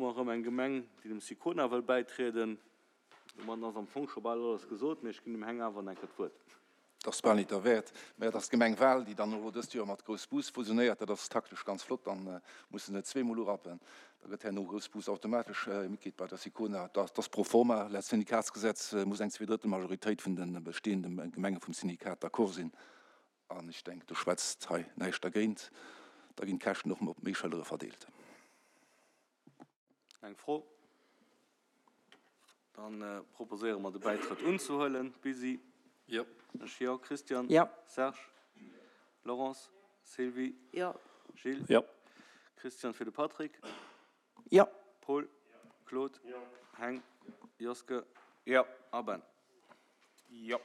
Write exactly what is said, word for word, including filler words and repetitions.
mer erëm eng Gemeng, déi dem SICONA wëll bäitrieden. Domadden ass am Fong scho bal alles gesot, mee ech ginn dem Heng awer nach eng Kéier d'Wuert. Dat ass bal nit derwäert, mä et ass d'Gemeng Wal, déi dann elo dëst Joer mat Groussbus fusionéiert. Dat ass taktesch ganz flott, dann muss se net zweemol urappen. Da gëtt herno Groussbus automatesch Mitglied bei der SICONA. Dat ass pro forma. Laut Syndikatsgesetz muss eng Zweedrëttelmajoritéit vun de bestehende Gemenge vum Syndikat d'accord sinn. An ech denken, do schwätzt hei näischt dergéint. Da ginn d'Käschten och op méi Schëllere verdeelt. Eng Fro? Dann proposéiere mer de Bäitrëtt unzehuelen. Busy? Jo. Ech jo. Christian? Jo. Serge? Laurence? Sylvie? Jo. Gilles? Jo. Christian fir de Patrick? Jo. Paul? Claude? Heng? Joske? Jo. A Ben? Jo.